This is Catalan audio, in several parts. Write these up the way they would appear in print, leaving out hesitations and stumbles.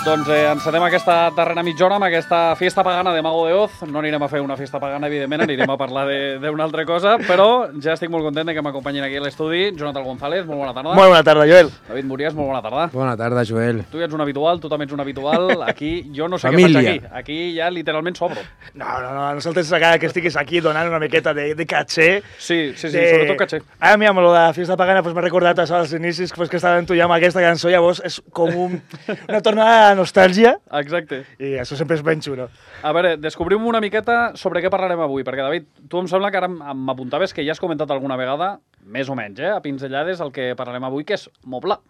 Doncs encetem aquesta darrera mitja hora amb aquesta festa pagana de Mago de Oz. No anirem a fer una festa pagana, evidentment, anirem a parlar d'una altra cosa, però ja estic molt content que m'acompanyin aquí a l'estudi. Jonathan González, molt bona tarda. Molt bona tarda, Joel. David Murias, molt bona tarda. Bona tarda, Joel. Tu ja ets un habitual, tu també ets un habitual. Aquí jo no sé Família. què faig aquí. Aquí ja literalment sobro. No, nosaltres cada que estiguis aquí donant una miqueta de caché. Sí, sobretot caché. Ara, mira, amb lo de la festa pagana m'ha recordat això als inicis que estava tu ja amb aquesta cançó, llavors és com una tornada de nostàlgia. Exacte. I això sempre és ben xulo. A veure, descobrim una miqueta sobre què parlarem avui, perquè, David, tu em sembla que ara m'apuntaves que ja has comentat alguna vegada, més o menys, a pinzellades, el que parlarem avui, que és Mobla.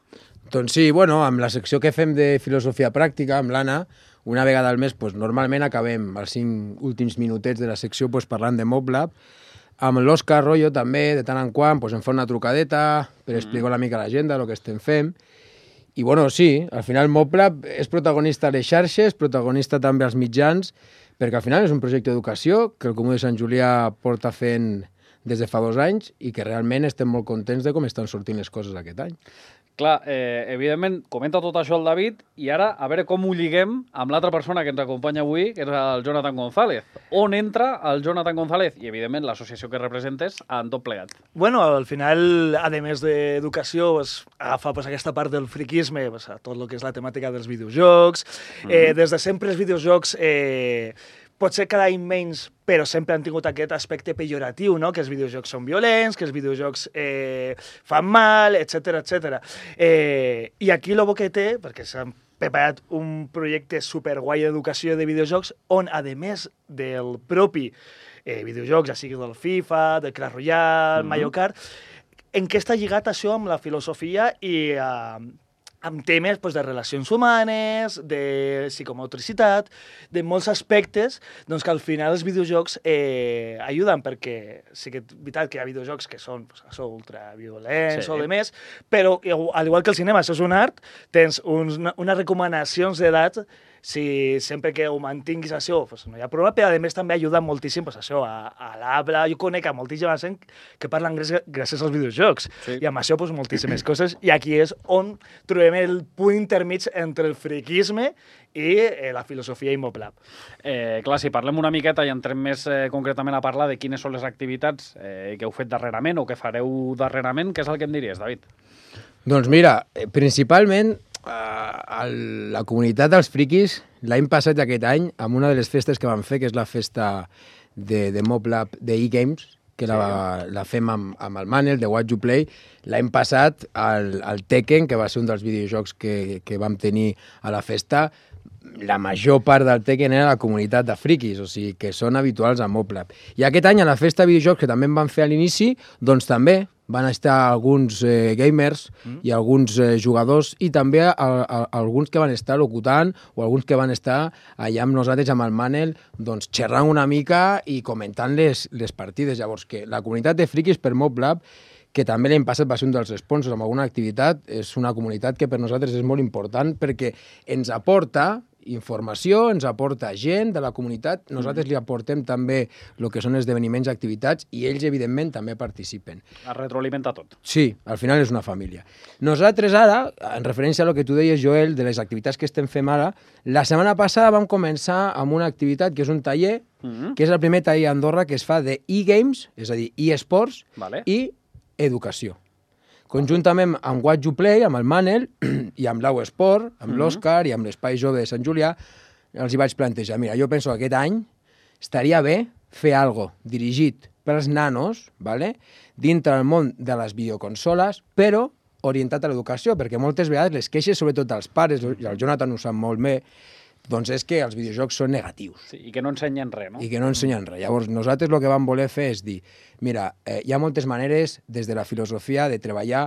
Doncs sí, bueno, amb la secció que fem de filosofia pràctica, amb l'Anna, una vegada al mes, normalment acabem els 5 últims minutets de la secció parlant de Moblab. Amb l'Òscar Royo també, de tant en quant, em fa una trucadeta per explicar una mica a la gent el que estem fent. I bueno, sí, al final Moblab és protagonista a les xarxes, protagonista també als mitjans, perquè al final és un projecte d'educació que el Comú de Sant Julià porta fent des de fa 2 anys i que realment estem molt contents de com estan sortint les coses aquest any. Clar, evidentment, comenta tot això el David i ara a veure com ho lliguem amb l'altra persona que ens acompanya avui, que és el Jonathan González. On entra el Jonathan González i, evidentment, l'associació que representes en tot plegat? Bueno, al final, a més d'educació, agafa aquesta part del friquisme, a tot el que és la temàtica dels videojocs. Des de sempre els videojocs potser cada any menys, però sempre han tingut aquest aspecte pejoratiu, no? Que els videojocs són violents, que els videojocs fan mal, etc. I aquí el bo que té, perquè s'han preparat un projecte superguai d'educació de videojocs, on, a més del propi videojocs, ja sigui del FIFA, del Clash Royale, Mario Kart, en què està lligat això amb la filosofia i amb temes de relacions humanes, de psicomotricitat, de molts aspectes doncs, que al final els videojocs ajuden, perquè sí que és veritat que hi ha videojocs que són ultraviolents o de més, però al igual que el cinema, això és un art, tens unes recomanacions d'edat. Si sempre que ho mantinguis això, no hi ha problema, però a més també ajuda moltíssim això, a l'habla. Jo conec a moltíssima gent que parlen gràcies als videojocs, i amb això moltíssimes coses, i aquí és on trobem el punt intermig entre el friquisme i la filosofia i Moblab. Clar, si parlem una miqueta i entrem més concretament a parlar de quines són les activitats que heu fet darrerament o que fareu darrerament, què és el que em diries, David? Doncs mira, principalment la comunitat dels friquis l'any passat i aquest any, amb una de les festes que vam fer, que és la festa de Moblab de e-Games, que la fem amb el Manel, de What You Play, l'any passat el Tekken, que va ser un dels videojocs que vam tenir a la festa, la major part del Tekken era la comunitat de friquis, o sigui, que són habituals a Moblab. I aquest any, a la festa de videojocs, que també en van fer a l'inici, doncs també van estar alguns gamers i alguns jugadors i també alguns que van estar locutant o alguns que van estar allà amb nosaltres, amb el Manel, doncs xerrant una mica i comentant les partides. Llavors, que la comunitat de friquis per Moblab, que també l'any passat va ser un dels sponsors amb alguna activitat, és una comunitat que per nosaltres és molt important perquè ens aporta informació, ens aporta gent de la comunitat, nosaltres li aportem també el que són esdeveniments i activitats i ells, evidentment, també participen. Es retroalimenta tot. Sí, al final és una família. Nosaltres ara, en referència a lo que tu deies, Joel, de les activitats que estem fent ara, la setmana passada vam començar amb una activitat que és un taller, que és el primer taller a Andorra que es fa de e-games, és a dir, e-sports i educació. Conjuntament amb What You Play, amb el Manel i amb l'Au Esport, amb l'Òscar i amb l'Espai Jove de Sant Julià, els hi vaig plantejar, mira, jo penso que aquest any estaria bé fer alguna cosa dirigit pels nanos, dintre del món de les videoconsoles, però orientat a l'educació, perquè moltes vegades les queixes, sobretot als pares, i el Jonathan ho sap molt bé, doncs és que els videojocs són negatius. Sí, i que no ensenyen res, no? I que no ensenyen res. Llavors, nosaltres el que vam voler fer és dir, mira, hi ha moltes maneres, des de la filosofia, de treballar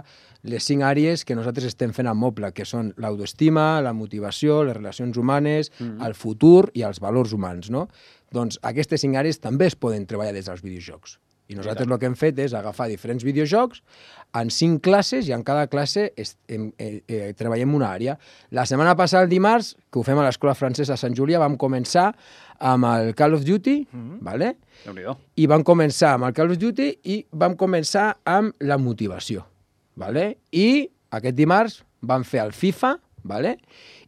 les 5 àrees que nosaltres estem fent a Moblab, que són l'autoestima, la motivació, les relacions humanes, el futur i els valors humans, no? Doncs aquestes 5 àrees també es poden treballar des dels videojocs. I nosaltres el que hem fet és agafar diferents videojocs en 5 classes i en cada classe treballem una àrea. La setmana passada, el dimarts, que ho fem a l'Escola Francesa a Sant Julià, vam començar amb el Call of Duty, i vam començar amb el Call of Duty i vam començar amb la motivació. I aquest dimarts vam fer el FIFA, ¿vale?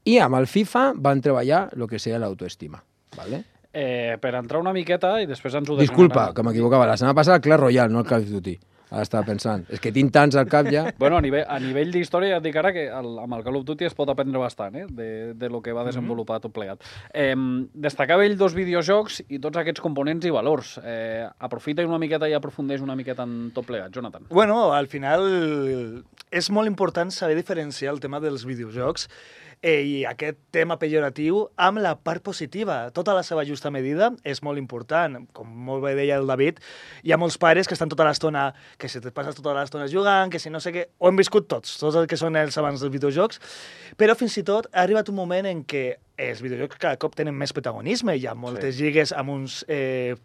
I amb el FIFA van treballar el que seria l'autoestima, ¿vale? Per entrar una miqueta i després ens ho Disculpa, que m'equivocava. La setmana passada el Clash Royale, no el Call of Duty. Ara estava pensant. És que tinc tants al cap ja. Bueno, a nivell d'història ja et dic ara que amb el Call of Duty es pot aprendre bastant, de lo que va desenvolupar tot plegat. Destacava ell 2 videojocs i tots aquests components i valors. Aprofita una miqueta i aprofundeix una miqueta en tot plegat, Jonathan. Bueno, al final és molt important saber diferenciar el tema dels videojocs i aquest tema pejoratiu amb la part positiva. Tota la seva justa medida és molt important. Com molt bé deia el David, hi ha molts pares que estan tota l'estona, que si te passes tota l'estona jugant, que si no sé què... Ho hem viscut tots els que són els amants dels videojocs, però fins i tot ha arribat un moment en què els videojocs cada cop tenen més protagonisme. Hi ha moltes lligues amb uns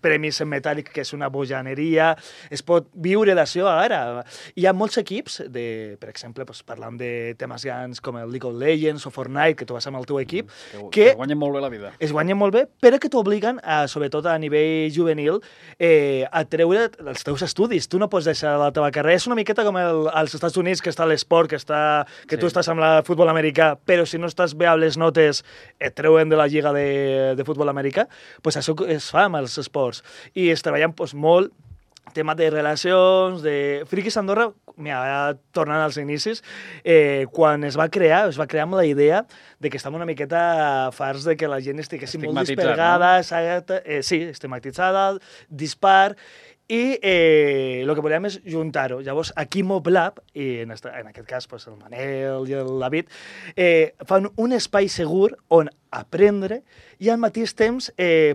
premis en metàl·lic que és una bojaneria. Es pot viure d'això ara. Hi ha molts equips, per exemple, parlant de temes grans com el League of Legends o Fortnite, que tu vas amb el teu equip, que guanyen molt bé la vida. Es guanyen molt bé, però que t'obliguen, sobretot a nivell juvenil, a treure els teus estudis. Tu no pots deixar la teva carrera. És una miqueta com als Estats Units, que està l'esport, que tu estàs amb el futbol americà, però si no estàs bé amb les notes et treuen de la lliga de futbol americà, pues això es fa amb els esports. I es treballen molt tema de relacions, de... Frikis Andorra, mira, tornant als inicis, quan es va crear amb la idea de que estàvem una miqueta farts de que la gent estiguessi molt dispergada, no? Sí, estigmatitzada, dispar, i el que volíem és juntar-ho. Llavors, aquí MobLab, i en aquest cas el Manel i el David, fan un espai segur on aprendre i al mateix temps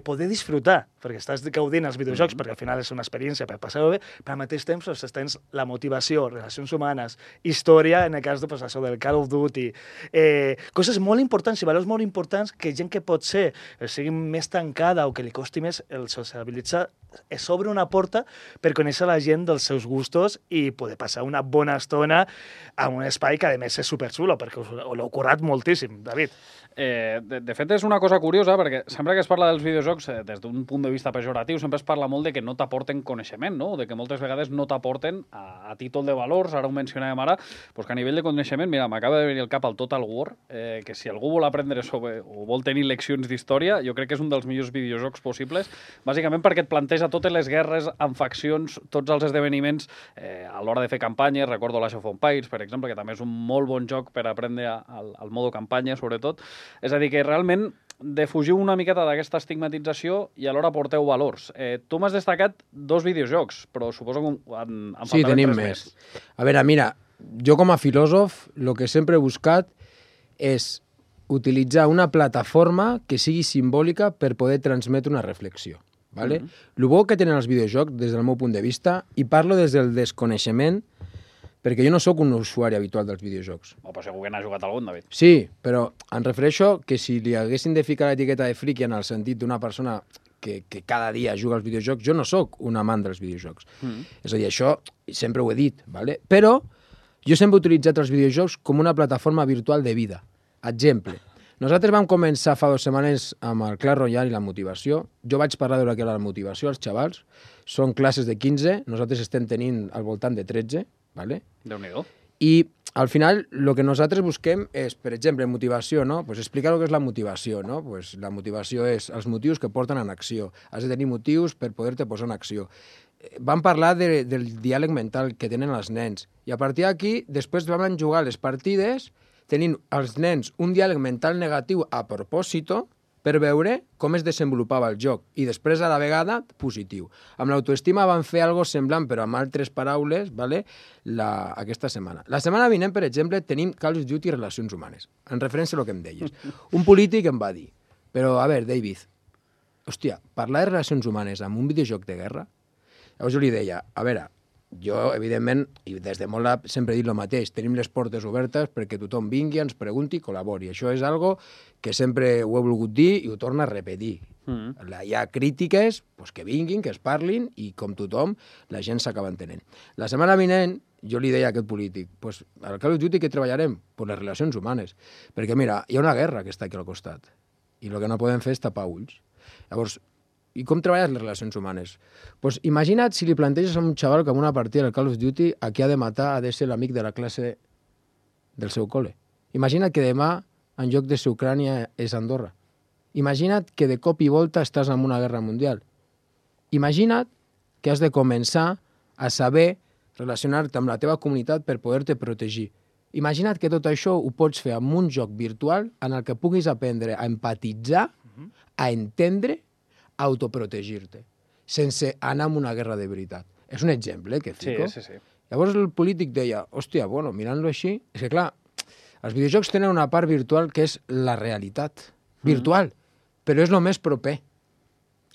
poder disfrutar, perquè estàs gaudint els videojocs, perquè al final és una experiència per passar-ho bé, però al mateix temps tens la motivació, relacions humanes, història, en el cas de això del Call of Duty, coses molt importants i valors molt importants que gent que pot ser sigui més tancada o que li costi més el sociabilitzar, es obre una porta per conèixer la gent dels seus gustos i poder passar una bona estona a un espai que a més és superxulo, perquè us l'heu currat moltíssim, David. De fet, és una cosa curiosa, perquè sempre que es parla dels videojocs, des d'un punt de vista pejoratiu, sempre es parla molt de que no t'aporten coneixement, no? De que moltes vegades no t'aporten a títol de valors, ara ho mencionàvem ara, doncs que a nivell de coneixement, mira, m'acaba de venir al cap el Total War, que si algú vol aprendre sobre, o vol tenir leccions d'història, jo crec que és un dels millors videojocs possibles, bàsicament perquè et planteja totes les guerres amb faccions, tots els esdeveniments a l'hora de fer campanyes. Recordo l'Age of Empires, per exemple, que també és un molt bon joc per aprendre al modo campanya, sobretot. És a dir, que realment defugiu una miqueta d'aquesta estigmatització i alhora porteu valors. Tu m'has destacat 2 videojocs, però suposo que en sí, tenim més. A veure, mira, jo com a filòsof el que sempre he buscat és utilitzar una plataforma que sigui simbòlica per poder transmetre una reflexió. ¿Vale? El bo que tenen els videojocs, des del meu punt de vista, i parlo des del desconeixement, perquè jo no sóc un usuari habitual dels videojocs. Però segur que n'ha jugat algun, David. Sí, però em refereixo que si li haguessin de ficar l'etiqueta de friki en el sentit d'una persona que cada dia juga als videojocs, jo no sóc un amant dels videojocs. És a dir, això sempre ho he dit, ¿vale? Però jo sempre he utilitzat els videojocs com una plataforma virtual de vida. Exemple, nosaltres vam començar fa 2 setmanes amb el Clash Royale i la motivació. Jo vaig parlar de la que era la motivació als xavals. Són classes de 15, nosaltres estem tenint al voltant de 13, ¿vale? Déu-n'hi-do. I al final el que nosaltres busquem és, per exemple, motivació, no? Pues explicar el que és la motivació, no? Pues la motivació és els motius que porten en acció. Has de tenir motius per poder-te posar en acció. Vam parlar del diàleg mental que tenen els nens. I a partir d'aquí, després vam jugar les partides tenint els nens un diàleg mental negatiu a propòsito per veure com es desenvolupava el joc i després a la vegada positiu. Amb l'autoestima van fer algo semblant però amb altres paraules, ¿vale? Aquesta setmana. La setmana vinent, per exemple, tenim Call of Duty i relacions humanes, en referència a el que em deies. Un polític em va dir, però a veure, David, hòstia, parlar de relacions humanes amb un videojoc de guerra? Llavors jo li deia, a veure, jo, evidentment, i des de molt sempre he dit el mateix, tenim les portes obertes perquè tothom vingui, ens pregunti i col·labori. Això és algo que sempre ho he volgut dir i ho torno a repetir. Hi ha crítiques, pues, que vinguin, que es parlin i com tothom la gent s'acaba entenent. La setmana vinent jo li deia a aquest polític, pues, al Call of Duty que treballarem? Pues les relacions humanes. Perquè mira, hi ha una guerra que està aquí al costat i el que no podem fer és tapar ulls. Llavors, i com treballes les relacions humanes? Pues imagina't si li planteges a un xaval que en una partida del Call of Duty a qui ha de matar ha de ser l'amic de la classe del seu col·le. Imagina't que demà, en lloc de ser Ucrània, és Andorra. Imagina't que de cop i volta estàs en una guerra mundial. Imagina't que has de començar a saber relacionar-te amb la teva comunitat per poder-te protegir. Imagina't que tot això ho pots fer amb un joc virtual en el que puguis aprendre a empatitzar, a entendre, a autoprotegir-te, sense anar a una guerra de veritat. És un exemple, que fico. Sí. Llavors el polític deia, hòstia, bueno, mirant-lo així, és que clar, els videojocs tenen una part virtual que és la realitat virtual, però és el més proper.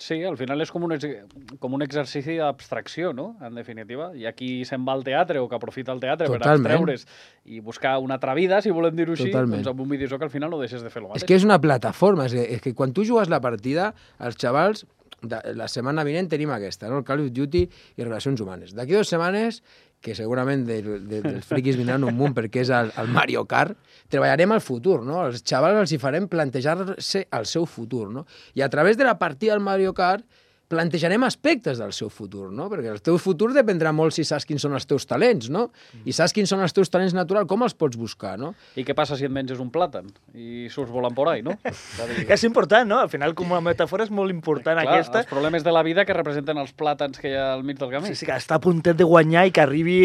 Sí, al final és com un exercici d'abstracció, no? En definitiva. Hi ha qui se'n va al teatre o que aprofita el teatre per abstreure's i buscar una altra vida, si volem dir-ho així, doncs amb un videojoc al final no deixes de fer el mateix. És que és una plataforma, és que quan tu jugues la partida, els xavals, la setmana vinent tenim aquesta, no? El Call of Duty i Relacions Humanes. D'aquí 2 setmanes, que segurament dels friquis vindran un munt perquè és el Mario Kart, treballarem al futur, no? Els xavals els hi farem plantejar-se el seu futur, no? I a través de la partida del Mario Kart plantejarem aspectes del seu futur, no? Perquè el teu futur dependrà molt si saps quins són els teus talents, no? I saps quins són els teus talents naturals, com els pots buscar, no? I què passa si et menges un plàtan i surts volant por ahí, no? És important, no? Al final, com a metàfora, és molt important aquesta. Els problemes de la vida que representen els plàtans que hi ha al mig del camí. Sí, que està a puntet de guanyar i que arribi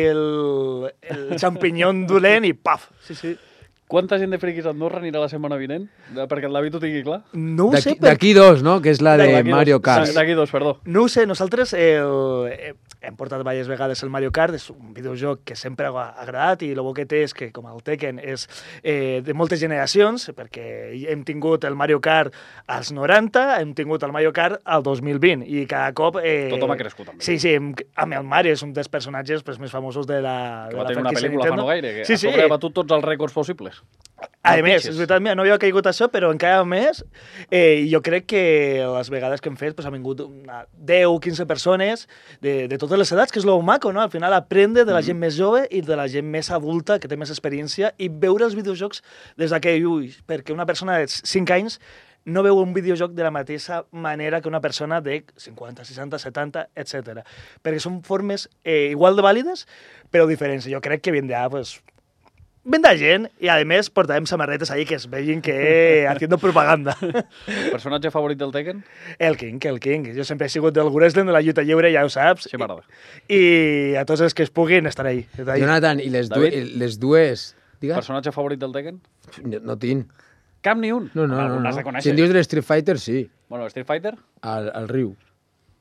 el xampinyó dolent i paf! Sí. Quanta gent de friquis a Andorra anirà la setmana vinent? Perquè el David ho tingui clar. No ho sé. D'aquí 2, no? Que és la de Mario Kart. D'aquí 2, perdó. No ho sé, nosaltres hem portat diverses vegades el Mario Kart, és un videojoc que sempre ha agradat i el bo que té és que, com el Tekken, és de moltes generacions, perquè hem tingut el Mario Kart als 90, hem tingut el Mario Kart al 2020 i cada cop... Tothom ha crescut també. Sí, amb el Mario és un dels personatges més famosos de la que va tenir una pel·lícula fa no gaire, que ha sobrebatut tots els rècords possibles. A més, és veritat, no havia caigut això, però encara més, jo crec que les vegades que hem fet han vingut 10 o 15 persones de totes les edats, que és lo maco, no? Al final aprendre de la gent més jove i de la gent més adulta, que té més experiència, i veure els videojocs des d'aquell ull, perquè una persona de 5 anys no veu un videojoc de la mateixa manera que una persona de 50, 60, 70, etc. Perquè són formes igual de vàlides, però diferents. Jo crec que vindrà, venda gent i, a més, portarem samarretes ahí que es vegin que haciendo propaganda. Personatge favorit del Tekken? El King. Jo sempre he sigut del wrestling, de la lluita lliure, ja ho saps. Sí, m'agrada. I a tots els que es puguin estar ahí. Jonathan, i les dues... Digues? Personatge favorit del Tekken? No tinc. Cap ni un? No. Si em dius de Street Fighter, sí. Bueno, Street Fighter? Al riu.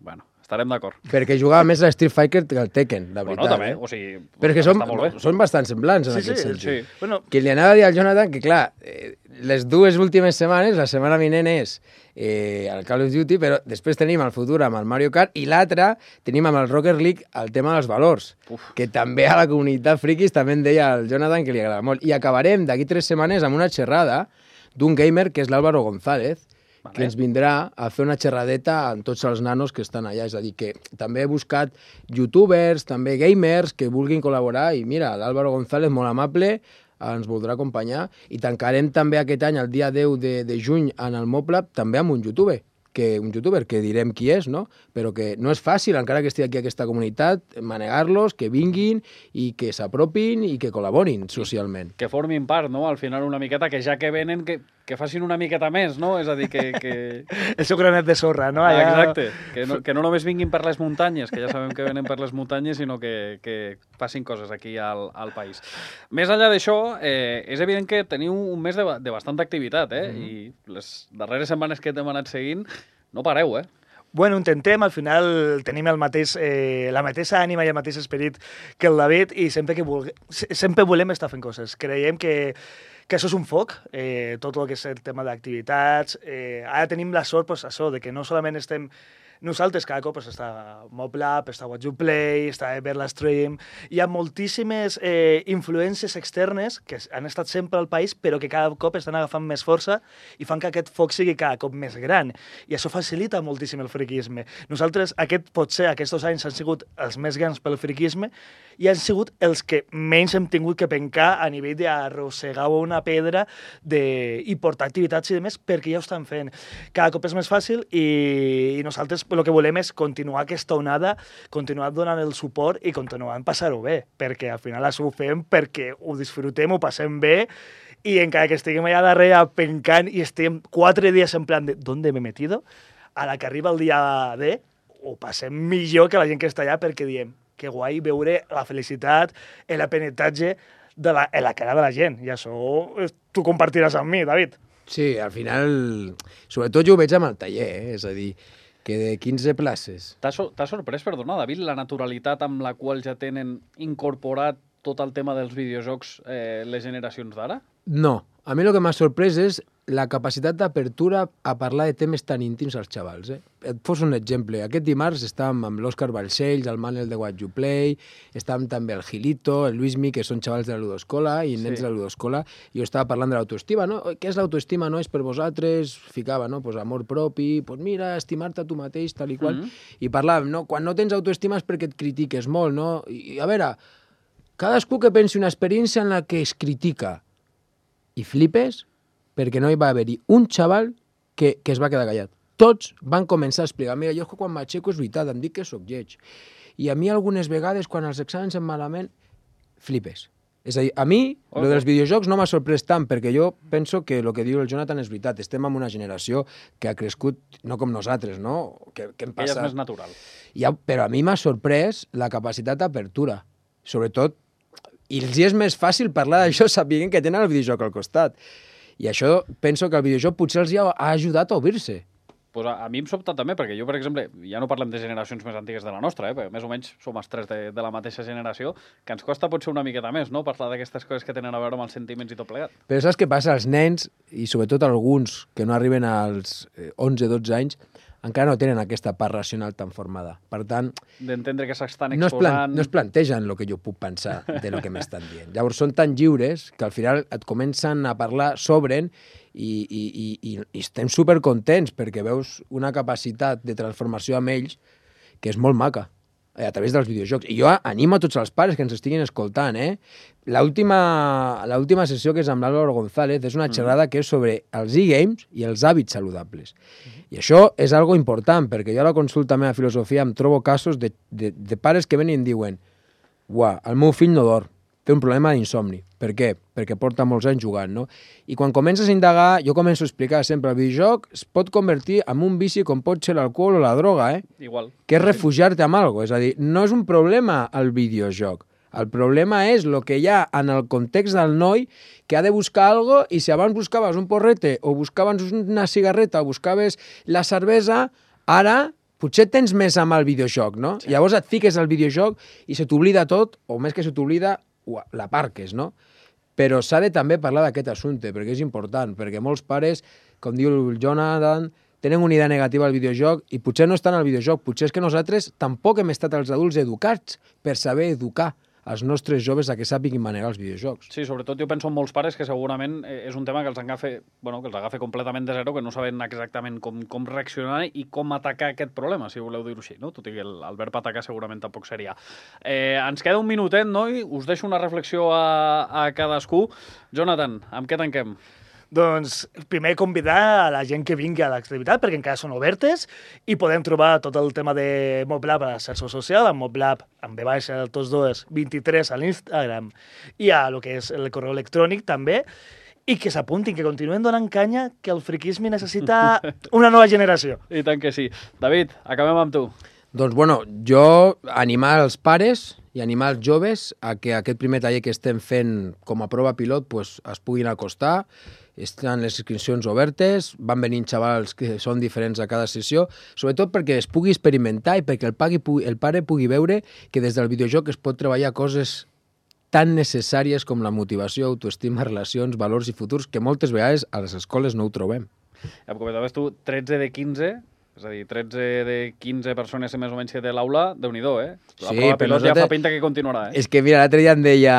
Bueno, estarem d'acord. Perquè jugava més a Street Fighter que al Tekken, la veritat. Bueno, també, o sigui... Però és que són bastant semblants en aquest sentit. Sí. Bueno, que li anava a dir al Jonathan que, clar, les 2 últimes setmanes, la setmana vinent és el Call of Duty, però després tenim el futur amb el Mario Kart i l'altre tenim amb el Rocket League el tema dels valors, que també a la comunitat friquis també en deia el Jonathan que li agrada molt. I acabarem d'aquí 3 setmanes amb una xerrada d'un gamer que és l'Álvaro González, que ens vindrà a fer una xerradeta amb tots els nanos que estan allà. És a dir, que també he buscat youtubers, també gamers que vulguin col·laborar i mira, l'Álvaro González, molt amable, ens voldrà acompanyar i tancarem també aquest any, el dia 10 de juny, en el Moblab, també amb un youtuber, que direm qui és, no? Però que no és fàcil, encara que estigui aquí aquesta comunitat, manegar-los, que vinguin i que s'apropin i que col·laborin socialment. Que formin part, no?, al final una miqueta, que ja que venen, que facin una miqueta més, no? És a dir, que... El seu granet de sorra, no? Allà... Exacte, que no només vinguin per les muntanyes, que ja sabem que venen per les muntanyes, sinó que facin coses aquí al país. Més enllà d'això, és evident que teniu un mes de bastanta activitat, i les darreres setmanes que t'hem anat seguint, no pareu, Bueno, intentem, al final tenim la mateixa ànima i el mateix esperit que el David i sempre volem estar fent coses. Creiem que això és un foc, tot el que és el tema d'activitats. Ara tenim la sort, de que no solament estem nosaltres, cada cop està Moblab, està What You Play, està Everla Stream. Hi ha moltíssimes influències externes que han estat sempre al país, però que cada cop estan agafant més força i fan que aquest foc sigui cada cop més gran. I això facilita moltíssim el friquisme. Nosaltres, potser aquests 2 anys han sigut els més grans pel friquisme i han sigut els que menys hem tingut que pencar a nivell d'arrossegar una pedra i portar activitats i demés, perquè ja ho estan fent. Cada cop és més fàcil i nosaltres el que volem és continuar aquesta onada, continuar donant el suport i continuar a passar-ho bé, perquè al final això ho fem perquè ho disfrutem, ho passem bé, i encara que estiguem allà darrere pencant i estem 4 dies en plan de ¿dónde me he metido? A la que arriba el dia D, ho passem millor que la gent que està allà perquè diem que guai veure la felicitat, l'aprenentatge en la cara de la gent. I això tu compartiràs amb mi, David. Sí, al final, sobretot jo ho veig amb el taller, és a dir, que de 15 places... T'ha sorprès, perdona, David, la naturalitat amb la qual ja tenen incorporat tot el tema dels videojocs les generacions d'ara? No, a mi el que m'ha sorprès és la capacitat d'apertura a parlar de temes tan íntims als xavals. Et poso un exemple. Aquest dimarts estàvem amb l'Òscar Balcells, el Manel de What You Play, estàvem també el Gilito, el Luismi, que són xavals de la ludoscola i nens de la ludoscola, i jo estava parlant de l'autoestima, no? Què és l'autoestima? No és per vosaltres? Ficava, no? Pues amor propi, pues mira, estimar-te a tu mateix, tal i qual. I parlàvem, no? Quan no tens autoestima és perquè et critiques molt, no? I a veure, cadascú que pensi una experiència en la que es critica i flipes, perquè no hi va haver-hi un xaval que es va quedar callat. Tots van començar a explicar, mira, jo quan m'aixeco és veritat, em dic que sóc lleig. I a mi algunes vegades, quan els exàmens em malament, flipes. És a dir, a mi, lo dels videojocs no m'ha sorprès tant, perquè jo penso que el que diu el Jonathan és veritat. Estem en una generació que ha crescut, no com nosaltres, no? Que hem passat... Ella és més natural. Però a mi m'ha sorprès la capacitat d'apertura. Sobretot, i els és més fàcil parlar d'això sabent que tenen el videojoc al costat. I això penso que el videojoc potser els ha ajudat a obrir-se. Pues a mi em sobta també, perquè jo, per exemple, ja no parlem de generacions més antigues de la nostra, perquè més o menys som els tres de la mateixa generació, que ens costa potser una miqueta més, no?, parlar d'aquestes coses que tenen a veure amb els sentiments i tot plegat. Però saps què passa? Els nens, i sobretot alguns que no arriben als 11-12 anys, encara no tenen aquesta part racional tan formada. Per tant... D'entendre que s'estan exposant... No es plantegen el que jo puc pensar de lo que m'estan dient. Llavors són tan lliures que al final et comencen a parlar, s'obren i estem supercontents perquè veus una capacitat de transformació amb ells que és molt maca a través dels videojocs. I jo animo a tots els pares que ens estiguin escoltant, L'última sessió, que és amb l'Álvaro González, és una xerrada que és sobre els e-games i els hàbits saludables. I això és algo important, perquè jo a la consulta meva de filosofia em trobo casos de pares que venen i em diuen «Uah, el meu fill no dorm, té un problema d'insomni». Per què? Perquè porta molts anys jugant, no? I quan comences a indagar, jo començo a explicar sempre el videojoc es pot convertir en un vici com pot ser l'alcohol o la droga, Igual. Que és refugiar-te amb alguna cosa. És a dir, no és un problema el videojoc. El problema és el que hi ha en el context del noi que ha de buscar alguna cosa i si abans buscaves un porrete o buscaves una cigarreta o buscaves la cervesa, ara potser tens més amb el videojoc, no? Sí. Llavors et fiques al videojoc i se t'oblida tot, o més que se t'oblida, l'aparques, no? Però s'ha de també parlar d'aquest assumpte, perquè és important, perquè molts pares, com diu el Jonathan, tenen una idea negativa al videojoc i potser no estan al videojoc, potser és que nosaltres tampoc hem estat els adults educats per saber educar els nostres joves a que sàpiguin manegar els videojocs. Sí, sobretot jo penso en molts pares que segurament és un tema que els agafa completament de zero, que no saben exactament com reaccionar i com atacar aquest problema, si voleu dir-ho així, no? Tot i que el verb atacar segurament tampoc seria. Ens queda un minutet, no? I us deixo una reflexió a cadascú. Jonathan, amb què tanquem? Doncs primer convidar a la gent que vingui a l'activitat, perquè encara són obertes, i podem trobar tot el tema de MobLab a la xarxa social, amb MobLab, amb B baixa, tots dos, 23 a l'Instagram, i a lo que és el correu electrònic també, i que s'apuntin, que continuen donant canya, que el friquisme necessita una nova generació. I tant que sí. David, acabem amb tu. Doncs, bueno, jo animar els pares i animar els joves a que aquest primer taller que estem fent com a prova pilot pues, es puguin acostar. Estan les inscripcions obertes, van venint xavals que són diferents a cada sessió, sobretot perquè es pugui experimentar i perquè el pare pugui veure que des del videojoc es pot treballar coses tan necessàries com la motivació, autoestima, relacions, valors i futurs, que moltes vegades a les escoles no ho trobem. Ja em comentaves tu, 13 de 15... És a dir, 13 de 15 persones més o menys que té l'aula, Déu-n'hi-do, La prova pilot ja fa pinta que continuarà, És que, mira, l'altre dia em deia,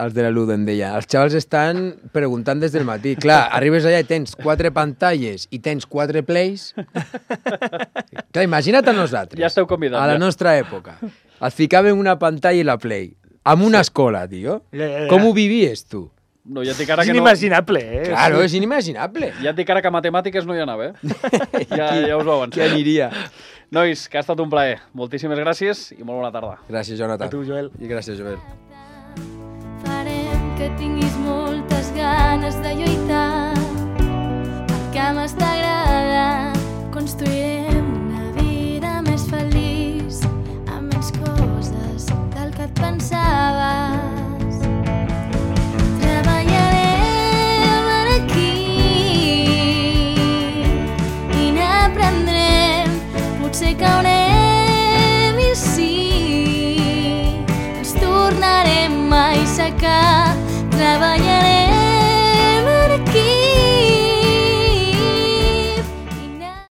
els de la Ludo em deia, els xavals estan preguntant des del matí. Clar, arribes allà i tens 4 pantalles i tens 4 plays. Clar, imagina't a nosaltres. Ja esteu convidats. A la nostra època. Et ficàvem una pantalla i la play. Amb una escola, tio. Com ho vivies, tu? No, ja et dic ara és que inimaginable, Claro, és inimaginable. Ja et dic ara que a matemàtiques no hi anava, Ja us ho avanço. Qui aniria? Nois, que ha estat un plaer. Moltíssimes gràcies i molt bona tarda. Gràcies, Jonathan. A tu, Joel. I gràcies, Joel. Farem que tinguis moltes ganes de lluitar. El que més t'agrada construirem